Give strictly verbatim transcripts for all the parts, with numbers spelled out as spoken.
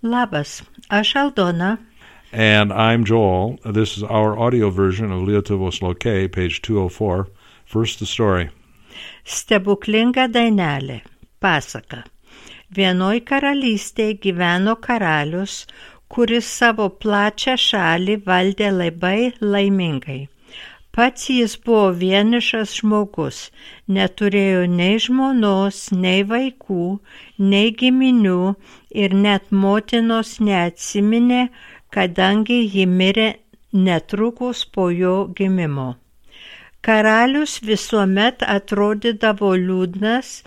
Labas, aš Aldona. And I'm Joel. This is our audio version of Lietuvos Lokei, page two oh four. First, the story. Stebuklinga dainelė. Pasaka. Vienoj karalystėje gyveno karalius, kuris savo plačią šalį valdė labai laimingai. Pats jis buvo vienišas žmogus, neturėjo nei žmonos, nei vaikų, nei giminių ir net motinos neatsiminė, kadangi ji mirė netrukus po jo gimimo. Karalius visuomet atrodydavo liūdnas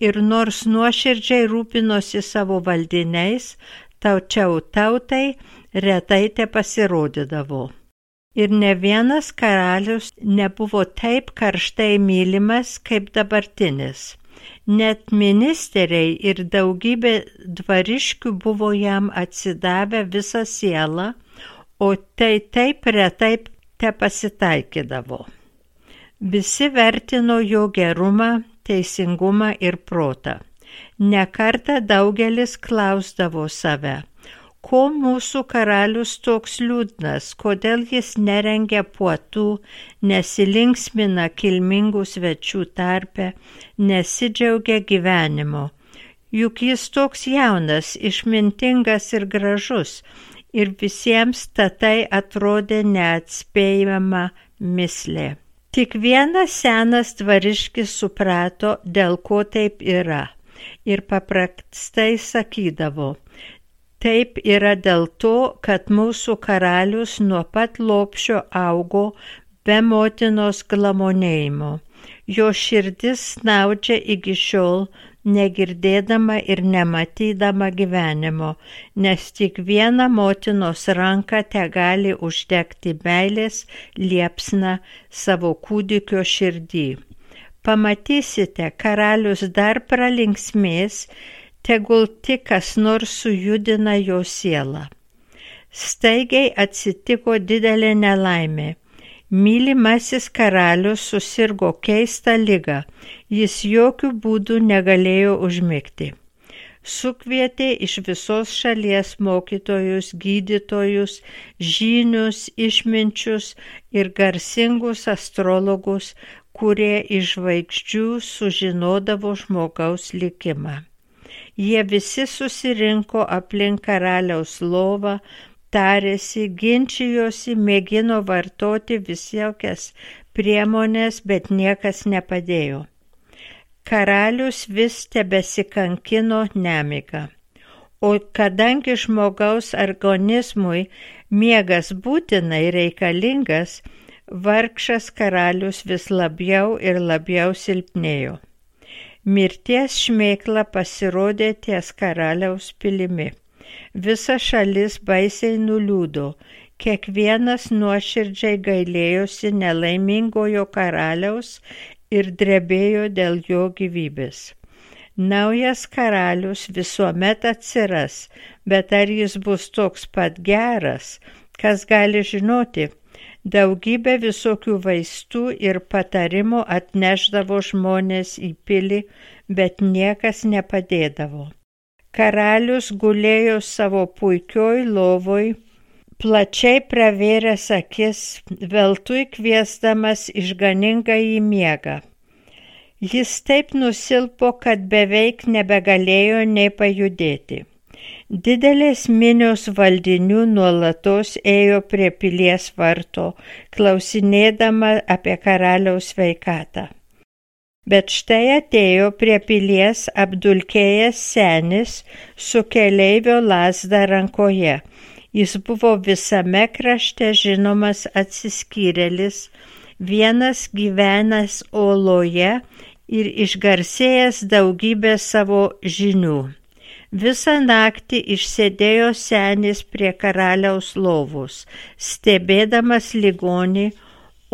ir nors nuoširdžiai rūpinosi savo valdiniais, tačiau tautai retai te pasirodydavo. Ir ne vienas karalius nebuvo taip karštai mylimas kaip dabartinis. Net ministeriai ir daugybė dvariškių buvo jam atsidavę visą sielą, o tai taip retai te pasitaikydavo. Visi vertino jo gerumą, teisingumą ir protą. Ne kartą daugelis klausdavo save, ko mūsų karalius toks liūdnas, kodėl jis nerengia puotų, nesilinksmina kilmingų svečių tarpe, nesidžiaugia gyvenimo. Juk jis toks jaunas, išmintingas ir gražus, ir visiems tatai atrodė neatspėjama mislė. Tik vienas senas dvariškis suprato, dėl ko taip yra, ir paprastai sakydavo, taip yra dėl to, kad mūsų karalius nuo pat lopšio augo be motinos glamonėjimo. Jo širdis snaudžia iki šiol, negirdėdama ir nematydama gyvenimo, nes tik viena motinos ranka tegali uždegti meilės liepsną savo kūdikio širdį. Pamatysite, karalius dar pralinksmės, tegul tik kas nors sujudina jo sielą. Staigiai atsitiko didelė nelaimė. Mylimasis karalius susirgo keistą ligą, jis jokių būdų negalėjo užmigti. Sukvietė iš visos šalies mokytojus, gydytojus, žynius, išminčius ir garsingus astrologus, kurie iš žvaigždžių sužinodavo žmogaus likimą. Jie visi susirinko aplink karaliaus lovą, tarėsi, ginčijosi, mėgino vartoti visokias priemonės, bet niekas nepadėjo. Karalius vis tebesikankino nemiga. O kadangi žmogaus organizmui miegas būtinai reikalingas, vargšas karalius vis labiau ir labiau silpnėjo. Mirties šmėkla pasirodė ties karaliaus pilimi. Visa šalis baisiai nuliūdo, kiekvienas nuoširdžiai gailėjosi nelaimingojo karaliaus ir drebėjo dėl jo gyvybės. Naujas karalius visuomet atsiras, bet ar jis bus toks pat geras, kas gali žinoti? Daugybė visokių vaistų ir patarimų atnešdavo žmonės į pilį, bet niekas nepadėdavo. Karalius gulėjo savo puikioj lovoj, plačiai pravėręs akis, veltui kviesdamas išganingąjį miegą. Jis taip nusilpo, kad beveik nebegalėjo nei pajudėti. Didelės minios valdinių nuolatos ėjo prie pilies varto, klausinėdama apie karaliaus sveikatą. Bet štai atėjo prie pilies apdulkėjęs senis su keleivio lazda rankoje. Jis buvo visame krašte žinomas atsiskyrėlis, vienas gyvenęs oloje ir išgarsėjęs daugybę savo žinių. Visą naktį išsėdėjo senis prie karaliaus lovos, stebėdamas ligonį,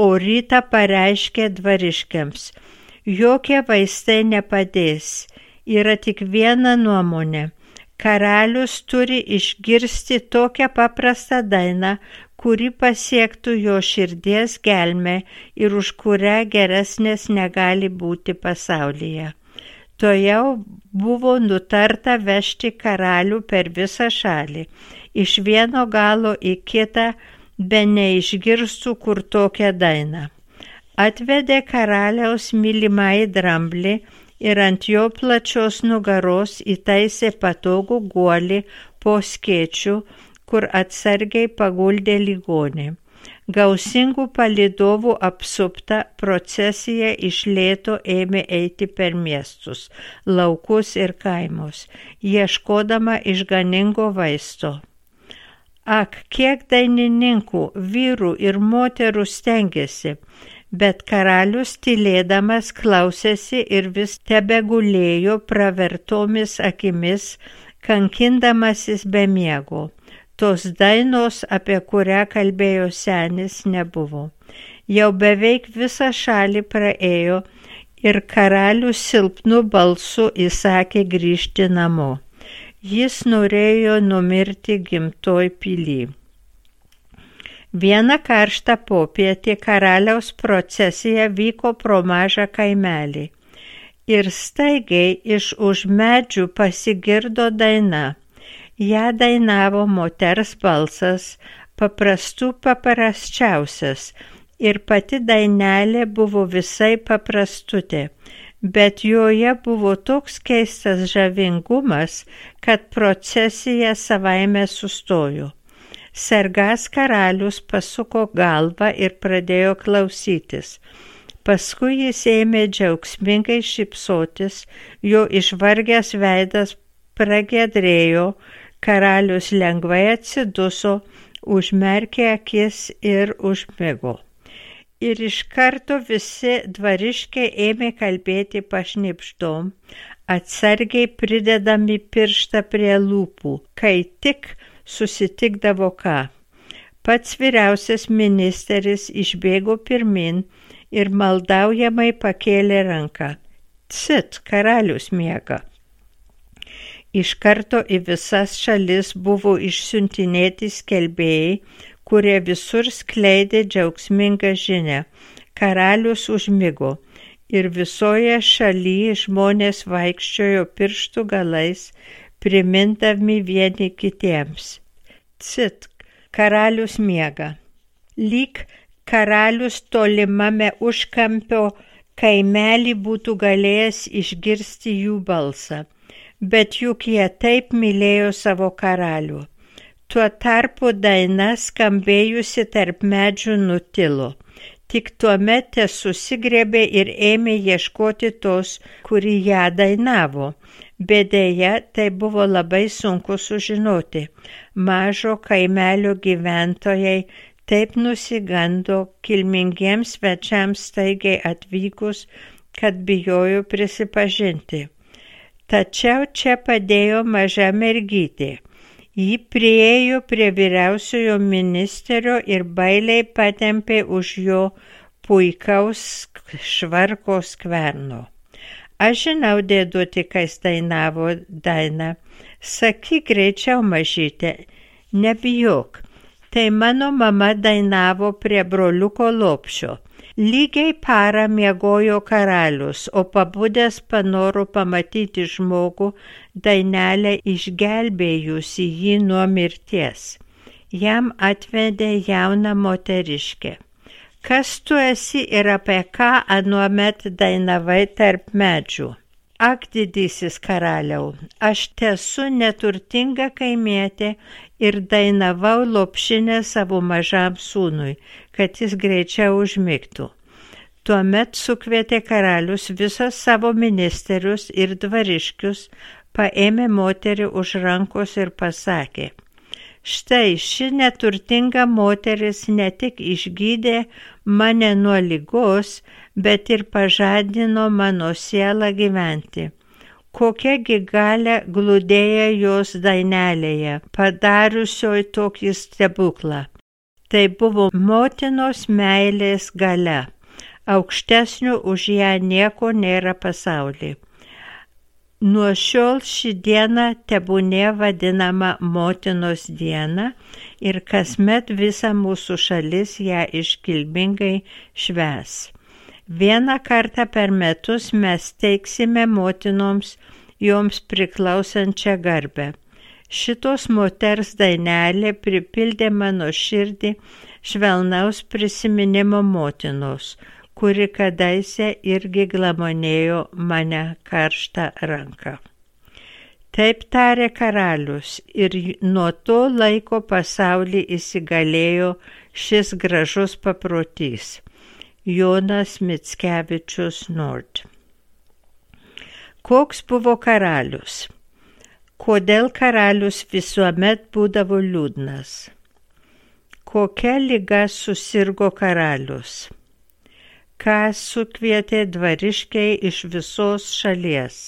o rytą pareiškė dvariškiams: jokie vaistai nepadės, yra tik viena nuomonė. Karalius turi išgirsti tokią paprastą dainą, kuri pasiektų jo širdies gelmę ir už kurią geresnės negali būti pasaulyje. Tojau buvo nutarta vežti karalių per visą šalį, iš vieno galo į kitą, be neišgirstų kur tokią dainą. Atvedė karaliaus mylimąjį dramblį ir ant jo plačios nugaros įtaisė patogų guolį po skėčiu, kur atsargiai paguldė ligonį. Gausingų palydovų apsupta procesija iš lėto ėmė eiti per miestus, laukus ir kaimus, ieškodama išganingo vaisto. Ak, kiek dainininkų, vyrų ir moterų stengėsi, bet karalius tylėdamas klausėsi ir vis tebegulėjo pravertomis akimis, kankindamasis be miego. Tos dainos, apie kurią kalbėjo senis, nebuvo. Jau beveik visą šalį praėjo ir karalius silpnu balsu įsakė grįžti namo. Jis norėjo numirti gimtoj pily. Vieną karštą popietį karaliaus procesija vyko pro mažą kaimelį. Ir staigiai iš už medžių pasigirdo daina. Ja dainavo moters balsas, paprastų paprasčiausias, ir pati dainelė buvo visai paprastutė, bet joje buvo toks keistas žavingumas, kad procesija savaime sustojo. Sergas karalius pasuko galvą ir pradėjo klausytis. Paskui jis ėmė džiaugsmingai šypsotis, jo išvargęs veidas pragiedrėjo, karalius lengvai atsiduso, užmerkė akis ir užmigo. Ir iš karto visi dvariškiai ėmė kalbėti pašnibždom, atsargiai pridedami pirštą prie lūpų, kai tik susitikdavo ką. Pats vyriausias ministeris išbėgo pirmin ir maldaujamai pakėlė ranką. Cit, karalius miega. Iš karto į visas šalis buvo išsiuntinėti skelbėjai, kurie visur skleidė džiaugsmingą žinią. Karalius užmigo ir visoje šalyje žmonės vaikščiojo pirštų galais, primindami vieni kitiems. Cit, karalius miega. Lyg karalius tolimame užkampio kaimelį būtų galėjęs išgirsti jų balsą. Bet juk jie taip mylėjo savo karalių. Tuo tarpu daina skambėjusi tarp medžių nutilo. Tik tuomet te susigriebė ir ėmė ieškoti tos, kuri ją dainavo. Bet deja, tai buvo labai sunku sužinoti. Mažo kaimelio gyventojai taip nusigando kilmingiems svečiams staigiai atvykus, kad bijojo prisipažinti. Tačiau čia padėjo maža mergytė. Ji priėjo prie vyriausiojo ministerio ir bailiai patempė už jo puikaus švarko skverno. Aš žinau, dėduti, kas dainavo dainą. Sakyk greičiau, mažytė, nebijok. Tai mano mama dainavo prie broliuko lopšio. Lygiai parą miegojo karalius, o pabudęs panoro pamatyti žmogų, dainelę išgelbėjusi jį nuo mirties. Jam atvedė jauną moteriškę. Kas tu esi ir apie ką anuomet dainavai tarp medžių? Ak, didysis karaliau, aš tesu neturtinga kaimietė ir dainavau lopšinę savo mažam sūnui, kad jis greičiau užmigtų. Tuomet sukvietė karalius visus savo ministerius ir dvariškius, paėmė moterį už rankos ir pasakė: štai ši neturtinga moteris ne tik išgydė mane nuo ligos, bet ir pažadino mano sielą gyventi. Kokiagi galia glūdėja jos dainelėje, padariusioj tokį stebuklą. Tai buvo motinos meilės galia. Aukštesnio už ją nieko nėra pasaulyje. Nuo šiol ši diena tebūnie vadinama motinos diena ir kasmet visa mūsų šalis ją iškilmingai švęs. Vieną kartą per metus mes teiksime motinoms joms priklausančią garbę. Šitos moters dainelė pripildė mano širdį švelnaus prisiminimo motinos, kuri kadaise irgi glamonėjo mane karštą ranką. Taip tarė karalius ir nuo to laiko pasaulį įsigalėjo šis gražus paprotys. Jonas Mickevičius Nord. Koks buvo karalius? Kodėl karalius visuomet būdavo liūdnas? Kokia liga susirgo karalius? Ką sukvietė dvariškiai iš visos šalies?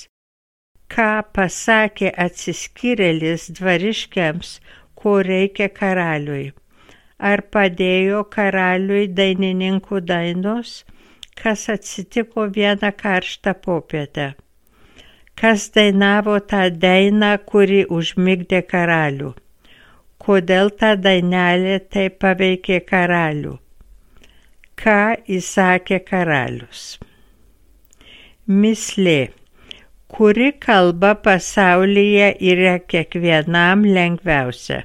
Ką pasakė atsiskyrėlis dvariškiams, ko reikia karaliui? Ar padėjo karaliui dainininkų dainos? Kas atsitiko vieną karštą popietę? Kas dainavo tą dainą, kuri užmigdė karalių? Kodėl ta dainelė taip paveikė karalių? Ką įsakė karalius? Mislė. Kuri kalba pasaulyje yra kiekvienam lengviausia?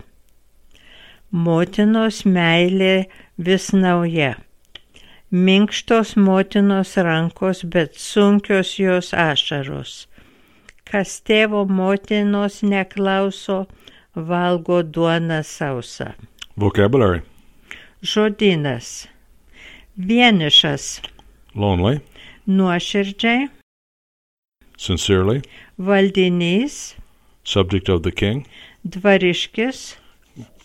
Motinos meilė vis nauja. Minkštos motinos rankos, bet sunkios jos ašaros. Kas tėvo motinos neklauso, valgo duoną sausą. Vocabulary. Žodynas. Vienišas. Lonely. Nuoširdžiai. Sincerely. Valdinys. Subject of the king. Dvariškis.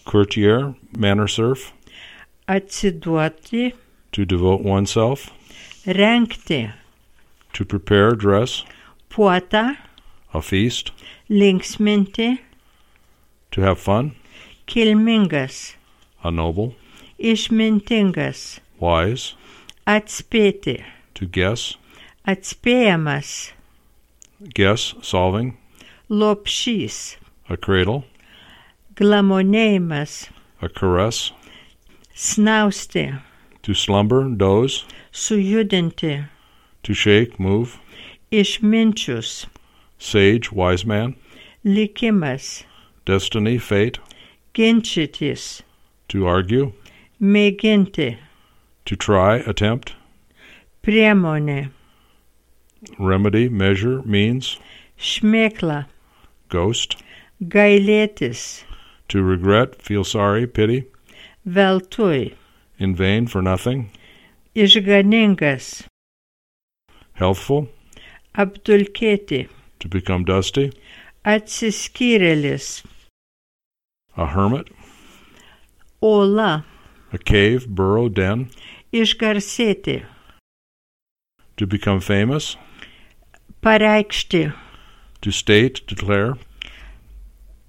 Courtier, manor serf. Atsiduoti. To devote oneself. Rengti. To prepare, dress. Puota. A feast. Linksminti. To have fun. Kilmingas. A noble. Išmintingas. Wise. Atspėti. To guess. Atspėjamas. Guess, solving. Lopšys. A cradle. Glamonėjimas. A caress. Snausti. To slumber, doze. Sujudinti. To shake, move. Išminčius. Sage, wise man. Likimas. Destiny, fate. Ginčytis. To argue. Mėginti. To try, attempt. Priemonė. Remedy, measure, means. Šmėkla. Ghost. Gailėtis. To regret, feel sorry, pity. Veltui. In vain, for nothing. Išganingas. Healthful. Apdulkėti. To become dusty. Atsiskyrėlis. A hermit. Ola. A cave, burrow, den. Išgarsėti. To become famous. Pareikšti. To state, declare.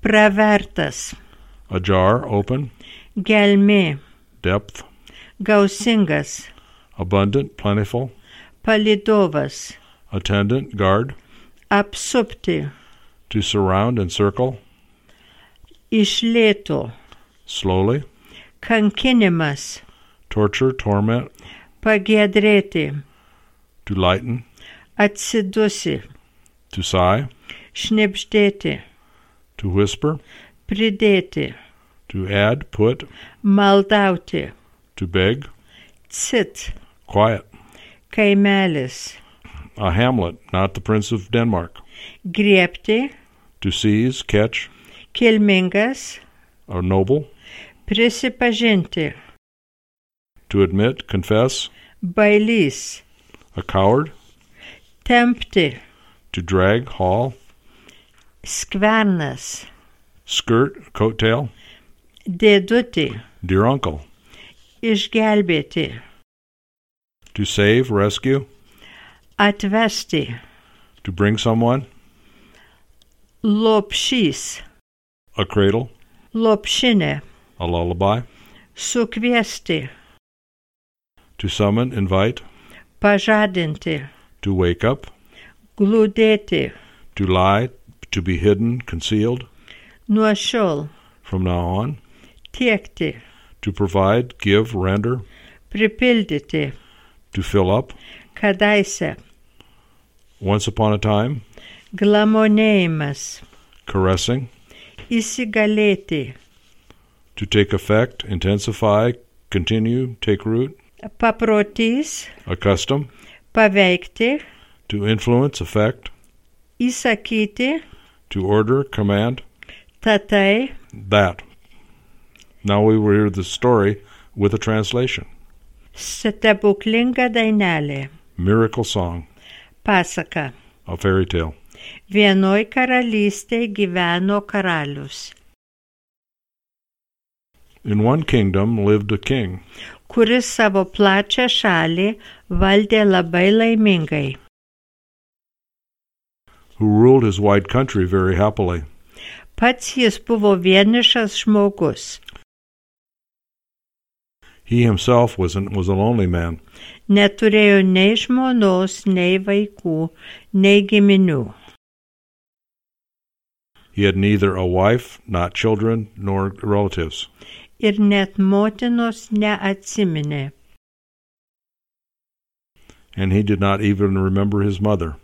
Pravertas. A jar, open. Gelmė. Depth. Gausingas. Abundant, plentiful. Palidovas. Attendant, guard. Apsupti. To surround and circle. Iš lėto. Slowly. Kankinimas. Torture, torment. Pagiedrėti. To lighten. Atsidusi. To sigh. Šnibždėti. To whisper. Pridėti. To add, put. Maldauti. To beg. Cit. Quiet. Kaimelis. A hamlet, not the Prince of Denmark. Griebti. To seize, catch. Kilmingas. A noble. Prisipažinti. To admit, confess. Bailys. A coward. Tempti. To drag, haul. Skvernas. Skirt, coattail. Dėduti. Dear uncle. Išgelbėti. To save, rescue. Atvesti. To bring someone. Lopšys. A cradle. Lopšinė. A lullaby. Sukviesti. To summon, invite. Pažadinti. To wake up. Glūdėti. To lie, to be hidden, concealed. Nuo šiol. From now on. Tiekti. To provide, give, render. Pripildyti. To fill up. Kadaise. Once upon a time. Glamonėjimas. Caressing. Įsigalėti. To take effect, intensify, continue, take root. Paprotys. A custom. Paveikti. To influence, affect. Įsakyti. To order, command. Tatai. That. Now we will hear the story with a translation. Stebuklinga dainelė. Miracle song. Pasaka. A fairy tale. Vienoj karalystėj gyveno karalius, In one kingdom lived a king kuris savo plačią šalį valdė labai laimingai. who ruled his wide country very happily. Pats jis buvo vienišas žmogus. He himself was, an, was a lonely man. Neturėjo nei žmonos, nei vaikų, nei giminių. He had neither a wife, not children, nor relatives. Ir net motinos neatsiminė. And he did not even remember his mother.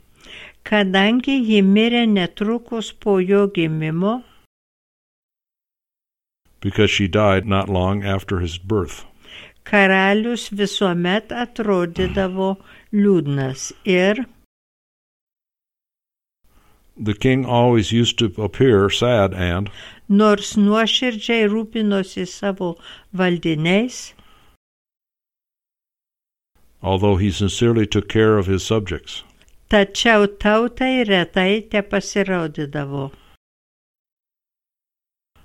Kadangi ji mirė netrukus po jo gimimo, Because she died not long after his birth. karalius visuomet atrodydavo liūdnas ir The king always used to appear sad and, nors nuoširdžiai rūpinosi savo valdiniais, although he sincerely took care of his subjects, tačiau tautai retai tepasirodydavo.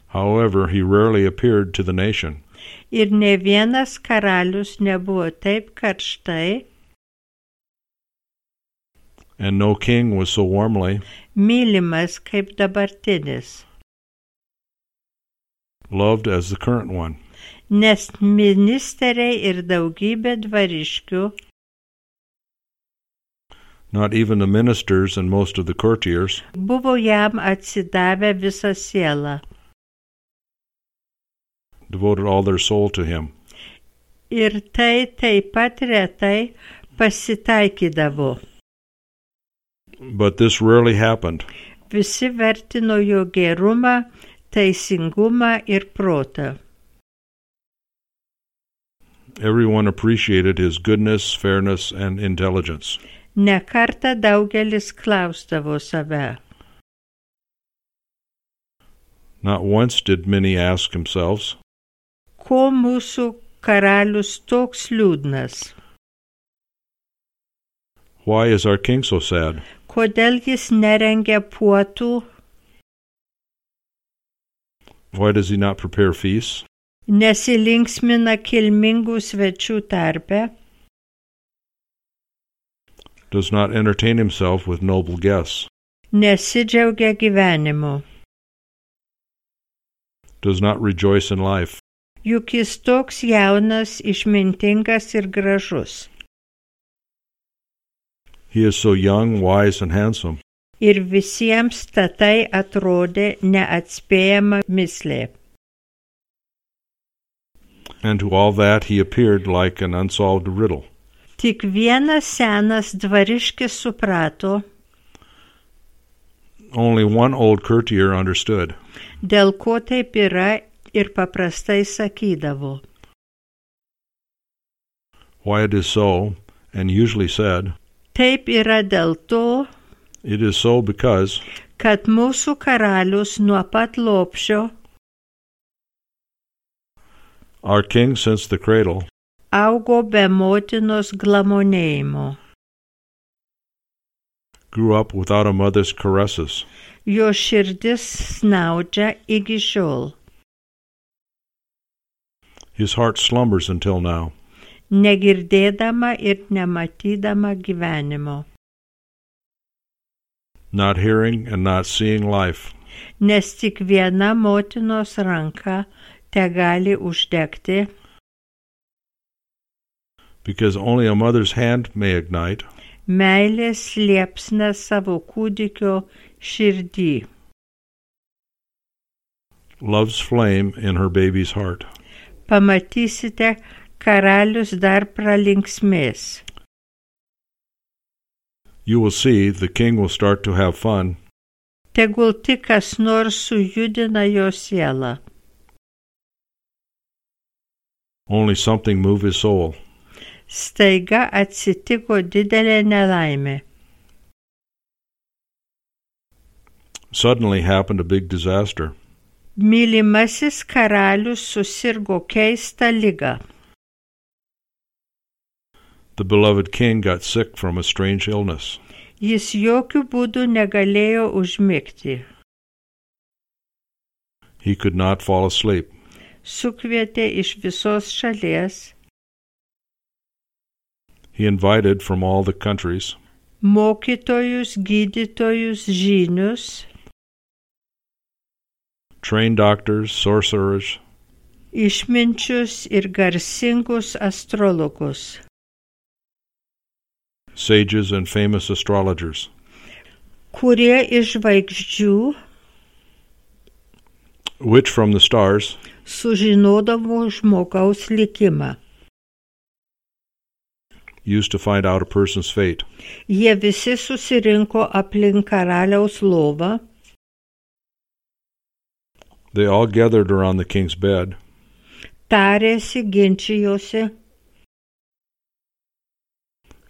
however, he rarely appeared to the nation. Ir ne vienas karalius nebuvo taip karštai, And no king was so warmly mylimas kaip dabartinis, loved as the current one. nes ministeriai ir daugybė dvariškių, Not even the ministers and most of the courtiers buvo jam atsidavę visą sielą. devoted all their soul to him. Ir tai taip pat retai pasitaikydavo. But this rarely happened. Visi vertino jo gerumą, teisingumą ir protą. Everyone appreciated his goodness, fairness, and intelligence. Ne kartą daugelis klausdavo save. Not once did many ask themselves, Ko mūsų karalius toks liūdnas? why is our king so sad? Kodėl jis nerengia puotų? Why does he not prepare feasts? Nesilinksmina kilmingų svečių tarpe? Does not entertain himself with noble guests? Nesidžiaugia gyvenimu? Does not rejoice in life? Juk jis toks jaunas, išmintingas ir gražus. He is so young, wise, and handsome. Ir visiems tatai atrodė neatspėjama mislė. And to all that he appeared like an unsolved riddle. Tik vienas senas dvariškis suprato, Only one old courtier understood. dėl ko taip yra ir paprastai sakydavo. Why it is so, and usually said, Taip yra dėl to, it is so because kad mūsų karalius nuo pat lopšio our king since the cradle augo be motinos glamonėjimo. grew up without a mother's caresses. Jo širdis snaudžia iki šiol, His heart slumbers until now, negirdėdama ir nematydama gyvenimo. not hearing and not seeing life, Nes tik viena motinos ranka tegali uždegti, because only a mother's hand may ignite meilės liepsna savo kūdikio širdį. love's flame in her baby's heart. Pamatysite, karalius dar pralinksmės. You will see the king will start to have fun. Tegul tik kas nors sujudina jo sielą. Only something move his soul. Staiga atsitiko didelė nelaimė. Suddenly happened a big disaster. Mylimasis karalius susirgo keistą ligą. The beloved king got sick from a strange illness. Jis jokių būdų negalėjo užmigti. He could not fall asleep. Sukvietė iš visos šalies. He invited from all the countries Mokytojus, gydytojus, žynius, trained doctors, sorcerers, išminčius ir garsingus astrologus, sages and famous astrologers, kurie iš žvaigždžių which from the stars sužinodavo žmogaus likimą. used to find out a person's fate. Jie visi susirinko aplink karaliaus lovą. They all gathered around the king's bed. Tarėsi, ginčijosi,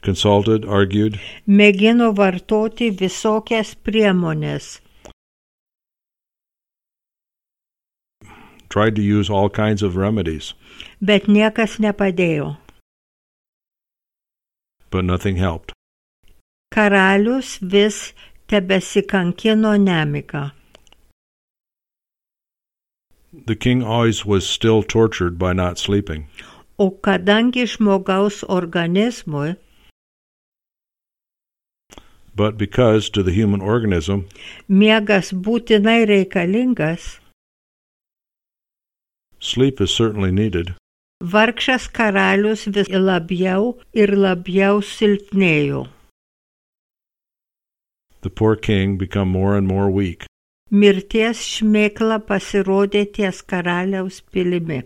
Consulted, argued, mėgino vartoti visokias priemonės. tried to use all kinds of remedies, Bet niekas nepadėjo. but nothing helped. Karalius vis tebesikankino nemiga. The king always was still tortured by not sleeping. O kadangi žmogaus organizmui, But because to the human organism, miegas būtinai reikalingas, sleep is certainly needed, vargšas karalius vis labiau ir labiau silpnėjo. the poor king become more and more weak. Mirties šmėkla pasirodė ties karaliaus pilimi.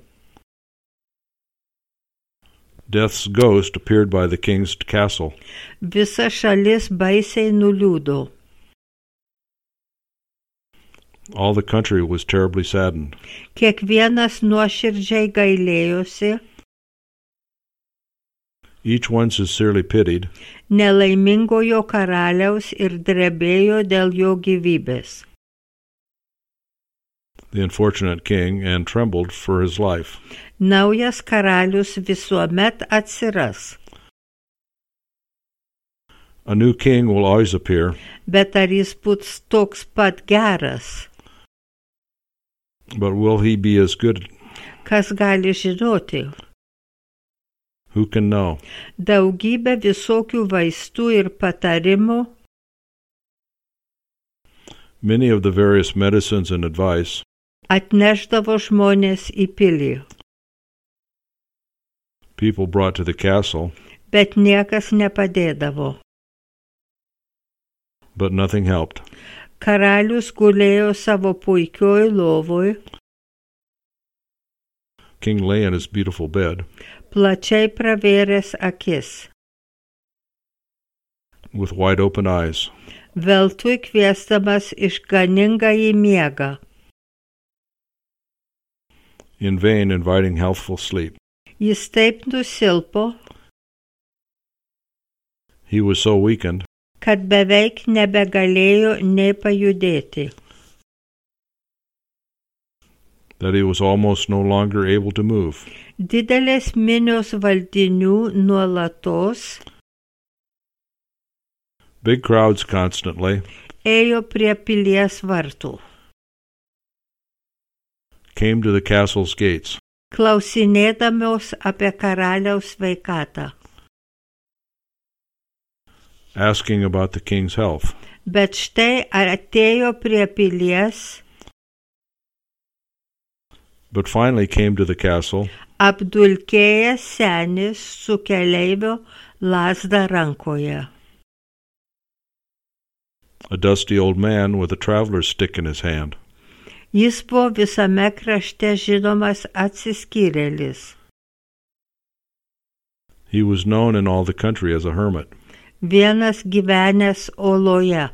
Death's ghost appeared by the king's castle. Visa šalis baisiai nuliūdo. All the country was terribly saddened. Kiekvienas nuoširdžiai gailėjosi, Each one sincerely pitied nelaimingojo karaliaus ir drebėjo dėl jo gyvybės. the unfortunate king and trembled for his life. Naujas karalius visuomet atsiras, A new king will always appear, bet ar jis bus toks pat geras? but will he be as good? Kas gali žinoti? Who can know? Daugybė visokių vaistų ir patarimų, Many of the various medicines and advice atneždavo žmonės į pilį, people brought to the castle, bet niekas nepadėdavo. but nothing helped. Karalius gulėjo savo puikioj lovoj, King lay in his beautiful bed plačiai pravėręs akis, with wide open eyes, veltui kviesdamas išganingąjį miegą. in vain inviting healthful sleep. Jis taip nusilpo, He was so weakened kad beveik nebegalėjo nei pajudėti. that he was almost no longer able to move. Didelės minios valdinių nuolatos Big crowds constantly ėjo prie pilies vartų, came to the castle's gates, klausinėdamos apie karaliaus sveikatą. asking about the king's health. Bet štai atėjo prie pilies But finally came to the castle apdulkėjęs senis su keleivio lazda rankoje. a dusty old man with a traveler's stick in his hand. Jis buvo visame krašte žinomas atsiskyrėlis. He was known in all the country as a hermit. vienas gyvenęs oloje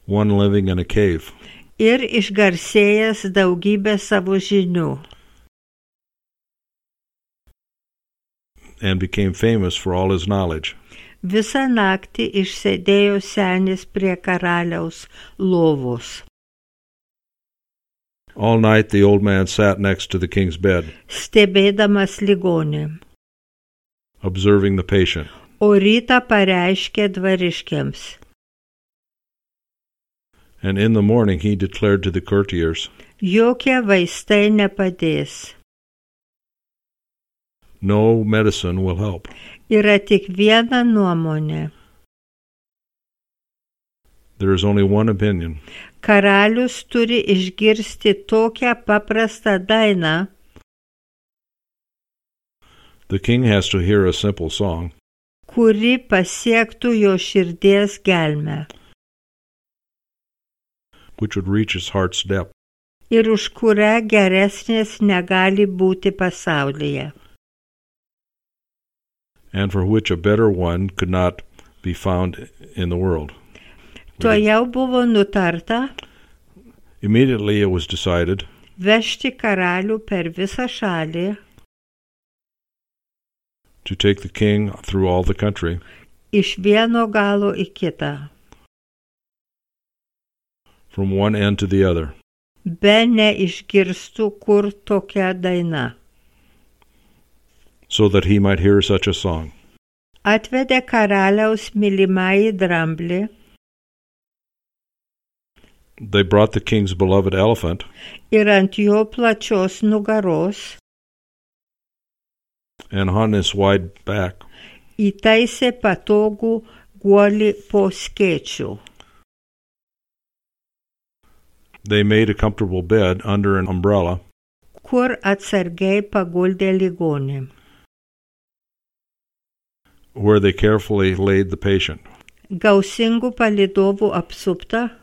one living in a cave ir išgarsėjęs daugybę savo žinių and became famous for all his knowledge. Visą naktį išsėdėjo senis prie karaliaus lovos. All night the old man sat next to the king's bed, Stebėdamas ligonį. observing the patient. O rytą pareiškė dvariškiams. And in the morning he declared to the courtiers, Jokie vaistai nepadės. no medicine will help. Yra tik viena nuomonė. There is only one opinion. Karalius turi išgirsti tokią paprastą dainą, The king has to hear a simple song, kuri pasiektų jo širdies gelmę which would reach his heart's depth. ir už kurią geresnės negali būti pasaulyje. And for which a better one could not be found in the world. Tuojau buvo nutarta Immediately it was decided vežti karalių per visą šalį, to take the king through all the country, iš vieno galo į kitą, from one end to the other, be neišgirstų, kur tokia daina. so that he might hear such a song. Atvedė karaliaus mylimąjį dramblį, They brought the king's beloved elephant, ir ant jo plačios nugaros and on his wide back įtaisė patogų guolį po skėčių. they made a comfortable bed under an umbrella, Kur atsargiai paguldė ligonį. where they carefully laid the patient. Gausingų palydovų apsupta,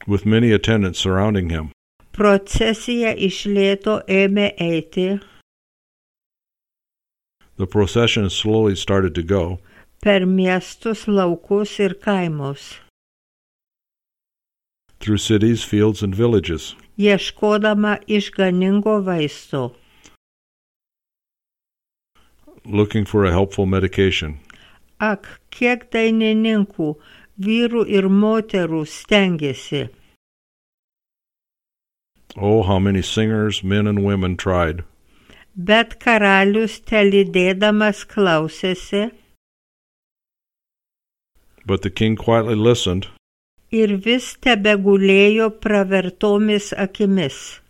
With many attendants surrounding him, procesija iš lėto ėmė eiti the procession slowly started to go per miestus, laukus ir kaimus, through cities, fields, and villages, ieškodama išganingo vaisto. looking for a helpful medication. Ak, kiek dainininkų, vyrų ir moterų stengiasi, Oh, how many singers, men and women tried, bet karalius telydėdamas klausėsi but the king quietly listened ir vis tebegulėjo pravertomis akimis.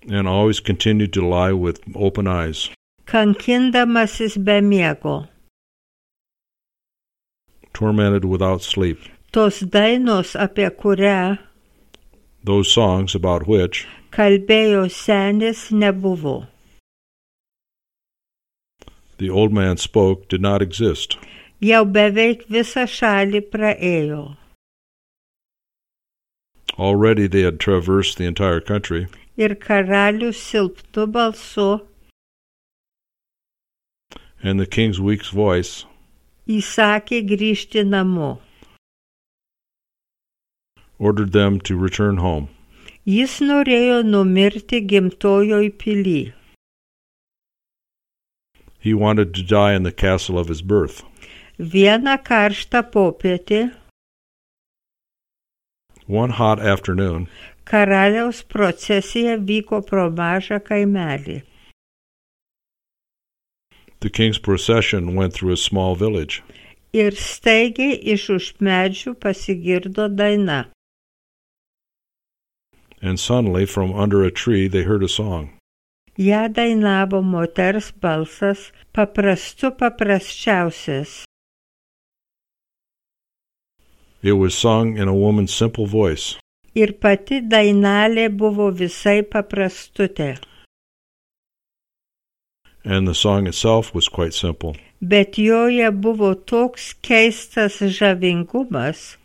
and always continued to lie with open eyes, Kankindamasis be miego. tormented without sleep. Tos dainos, apie kurią Those songs about which kalbėjo senis, nebuvo. the old man spoke did not exist. Jau beveik visą šalį praėjo. Already they had traversed the entire country, Ir karalius silpnu balsu and the king's weak voice įsakė grįžti namo. ordered them to return home. Jis norėjo numirti gimtojoj pily. He wanted to die in the castle of his birth. Vieną karštą popietį One hot afternoon, karaliaus procesija vyko pro mažą kaimelį. the king's procession went through a small village, Ir staigiai iš už medžių pasigirdo daina. and suddenly from under a tree they heard a song. Ja dainavo moters balsas, paprastu paprasčiausias. It was sung in a woman's simple voice, Ir pati dainelė buvo visai paprastutė. and the song itself was quite simple. Bet joje buvo toks keistas žavingumas,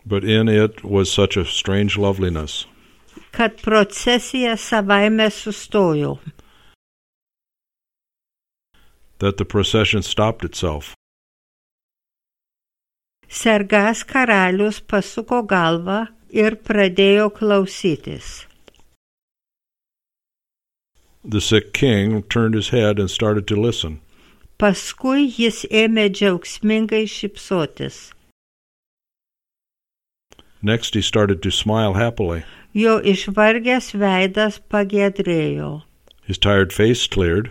But in it was such a strange loveliness, kad procesija savaime sustojo. That the procession stopped itself. Sergas karalius pasuko galvą ir pradėjo klausytis. The sick king turned his head and started to listen. Paskui jis ėmė džiaugsmingai šypsotis. Next he started to smile happily. Jo išvargęs veidas pagiedrėjo. His tired face cleared.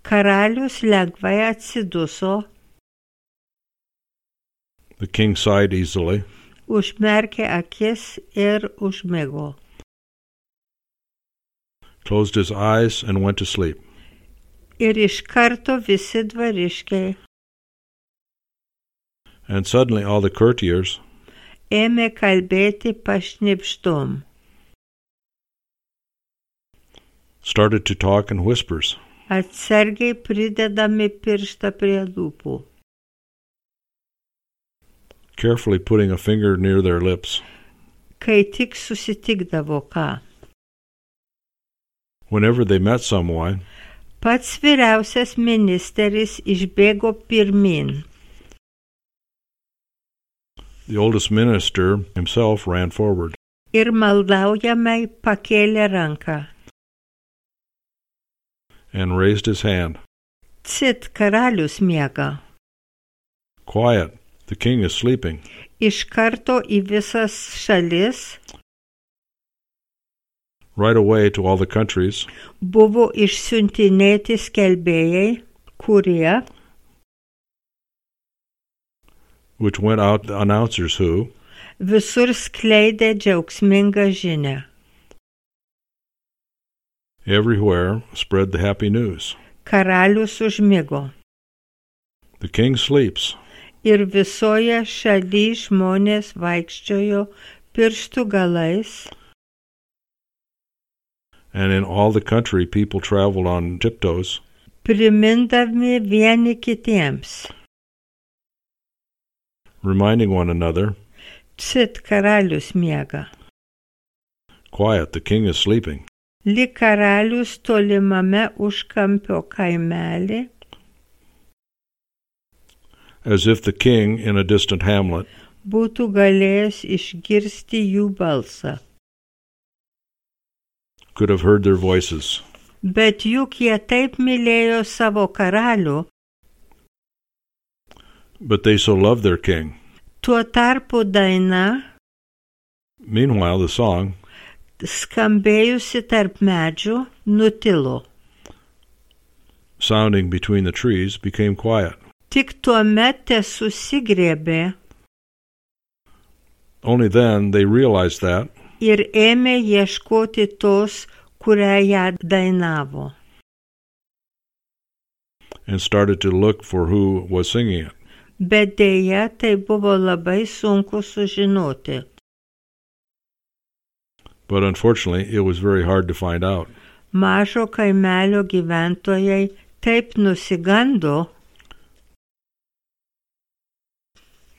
Karalius lengvai atsiduso. The king sighed easily. Užmerkė akis ir užmigo. Closed his eyes and went to sleep. Ir iš karto visi dvariškiai And suddenly all the courtiers ėmė kalbėti pašnibždom. started to talk in whispers. Atsargiai pridedami pirštą prie lūpų. Carefully putting a finger near their lips. Kai tik susitikdavo ką. Whenever they met someone, Pats vyriausias ministeris išbėgo pirmin. the oldest minister himself ran forward. Ir maldaujamai pakėlė ranką. And raised his hand. Cit, karalius miega. Quiet, the king is sleeping. Iš karto į visas šalis Right away to all the countries, buvo išsiuntinėti skelbėjai, kurie which went out the announcers who, visur skleidė džiaugsmingą žinią. everywhere spread the happy news. Karalius užmigo. The king sleeps. Ir visoje šaly žmonės vaikščiojo pirštų galais, And in all the country people traveled on tiptoes, primindami vieni kitiems. reminding one another, Cit, karalius miega. quiet, the king is sleeping. Lyg karalius tolimame užkampio kaimelį, As if the king in a distant hamlet būtų galėjęs išgirsti jų balsą. could have heard their voices. Bet juk jie taip mylėjo savo karalių, But they so loved their king. tuo tarpu daina, Meanwhile, the song, skambėjusi tarp medžių, nutilo. sounding between the trees, became quiet. Tik tuomet tesusigriebė Only then they realized that, ir ėmė ieškoti tos, kurią ją dainavo. and started to look for who was singing it. Bet dėja tai buvo labai sunku sužinoti. But unfortunately, it was very hard to find out. Mažo kaimelio gyventojai taip nusigando,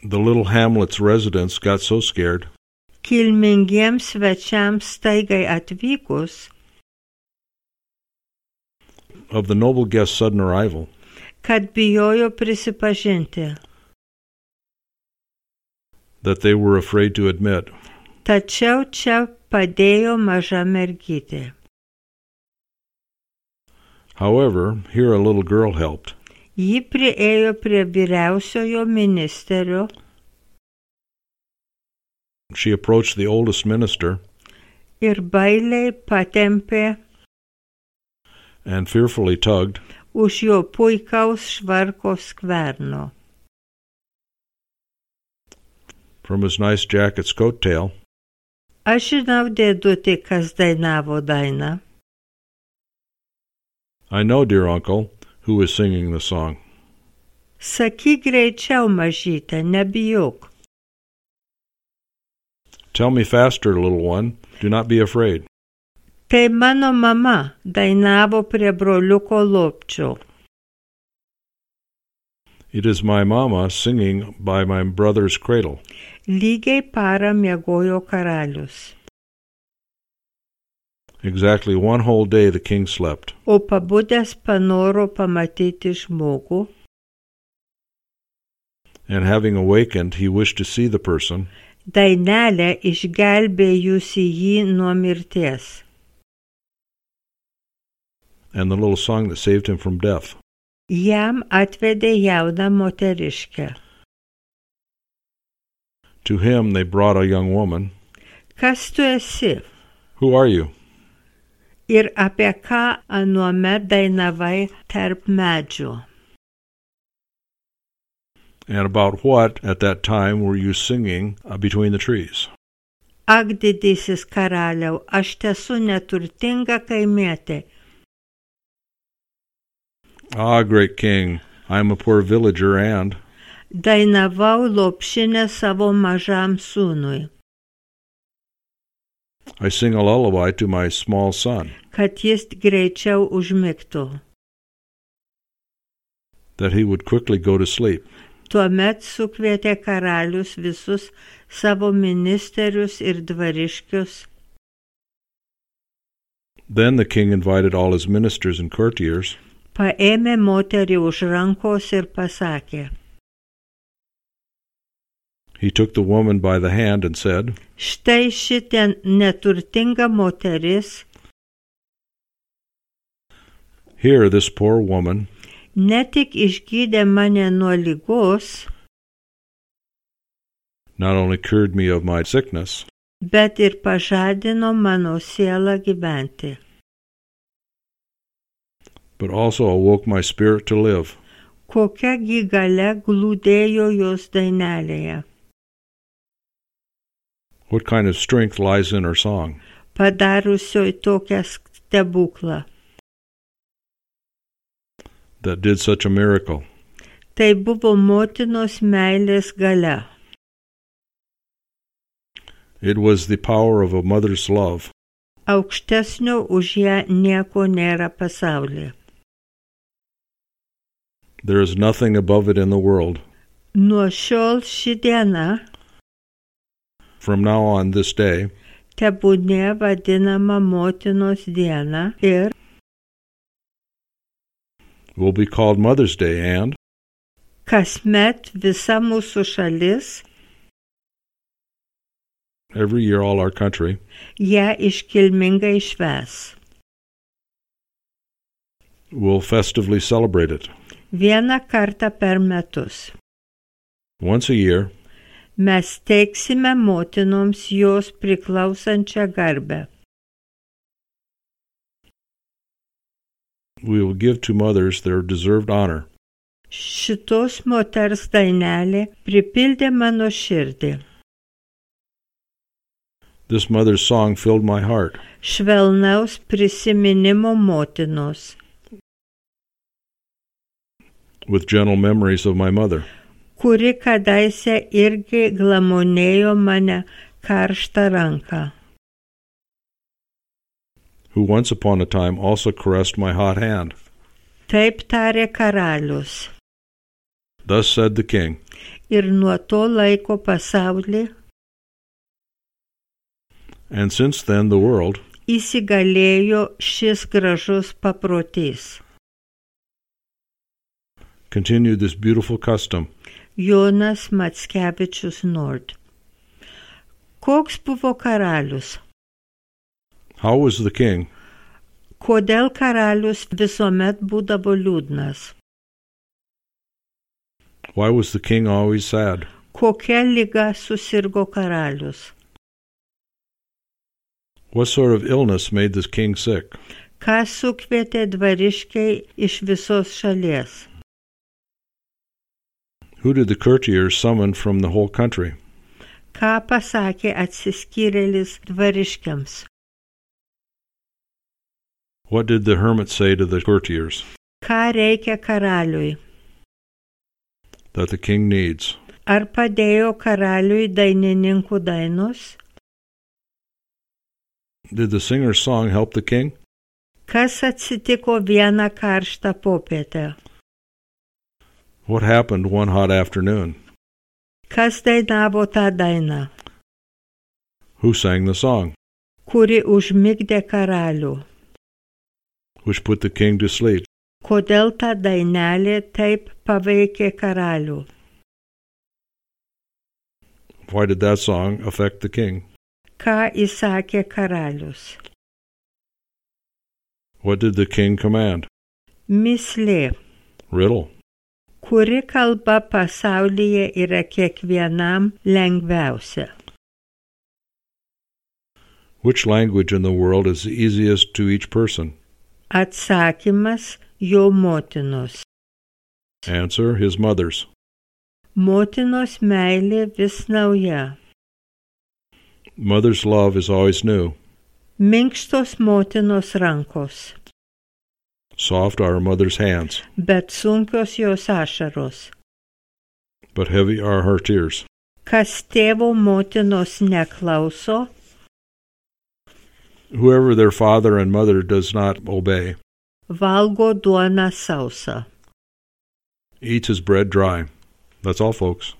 The little hamlet's residents got so scared kilmingiems svečiams staigai atvykus, of the noble guest's sudden arrival kad bijojo prisipažinti. that they were afraid to admit. Tačiau čia padėjo maža mergytė. However, here a little girl helped. Ji priėjo prie vyriausiojo ministerio She approached the oldest minister ir bailiai patempė and fearfully tugged už jo puikaus švarko skverno. from his nice jacket's coat tail. Aš žinau, dėdutė, kas dainavo dainą. I know, dear uncle, who is singing the song. Sakyk greičiau, mažytė, nebijok. Tell me faster, little one. Do not be afraid. Tai mano mama dainavo prie broliuko lopčio. It is my mama singing by my brother's cradle. Lygiai parą miegojo karalius. Exactly one whole day the king slept. O pabudęs panoro pamatyti žmogų, And having awakened, he wished to see the person, dainelę išgelbėjusi jį nuo mirties. and the little song that saved him from death. Jam atvedė jauną moteriškę. To him they brought a young woman. Kas tu esi? Who are you? Ir apie ką anuomet dainavai tarp medžių? And about what, at that time, were you singing uh, between the trees? Ak, didysis karaliau, aš tesu neturtinga kaimietė. Ah, great king, I am a poor villager and... Dainavau lopšinę savo mažam sūnui, I sing a lullaby to my small son, kad jis greičiau užmigtų. that he would quickly go to sleep. Tuomet sukvietė karalius visus savo ministerius ir dvariškius. Then the king invited all his ministers and courtiers, Paėmė moterį už rankos ir pasakė, he took the woman by the hand and said, štai šitien neturtinga moteris here this poor woman ne tik išgydė mane nuo ligos, not only cured me of my sickness, bet ir pažadino mano sielą gyventi. but also awoke my spirit to live. Kokia gi galia glūdėjo jos dainelėje, What kind of strength lies in her song, padarusioj tokią stebuklą. that did such a miracle? Tai buvo motinos meilės galia. It was the power of a mother's love. Aukštesnio už ją nieko nėra pasaulyje. There is nothing above it in the world. Nuo šiol ši diena From now on, this day, tebūnie vadinama motinos diena ir will be called Mother's Day, and kasmet visa mūsų šalis every year all our country ją iškilmingai švęs. will festively celebrate it. Vieną kartą per metus Once a year, mes teiksime motinoms jos priklausančią garbę. we will give to mothers their deserved honor. Šitos moters dainelė pripildė mano širdį. This mother's song filled my heart Švelnaus prisiminimo motinos, with gentle memories of my mother, kuri kadaise irgi glamonėjo mane karštą ranką. who once upon a time also caressed my hot hand. Taip tarė karalius. Thus said the king, Ir nuo to laiko pasaulį and since then the world įsigalėjo šis gražus paprotys. continued this beautiful custom. Jonas Mackevičius Nord. Koks buvo karalius? How was the king? Kodėl karalius visuomet būdavo liūdnas? Why was the king always sad? Kokia liga susirgo karalius? What sort of illness made this king sick? Ką sukvietė dvariškiai iš visos šalies? Who did the courtiers summon from the whole country? Ką pasakė atsiskyrėlis dvariškiams? What did the hermit say to the courtiers? Ką reikia karaliui? That the king needs. Ar padėjo karaliui dainininkų dainos? Did the singer's song help the king? Kas atsitiko vieną karštą popietę? What happened one hot afternoon? Kas dainavo tą dainą? Who sang the song? kuri užmigdė karalių. which put the king to sleep. Kodėl ta dainelė taip paveikė karalių? Why did that song affect the king? Ką įsakė karalius? What did the king command? Mislė. Riddle. Kuri kalba pasaulyje yra kiekvienam lengviausia? Which language in the world is the easiest to each person? Atsakymas jo motinos. Answer, his mother's. Motinos meilė vis nauja. Mother's love is always new. Minkštos motinos rankos, Soft are a mother's hands, bet sunkios jos ašaros. but heavy are her tears. Kas tėvo motinos neklauso, Whoever their father and mother does not obey, valgo duoną sausą. eats his bread dry. That's all, folks.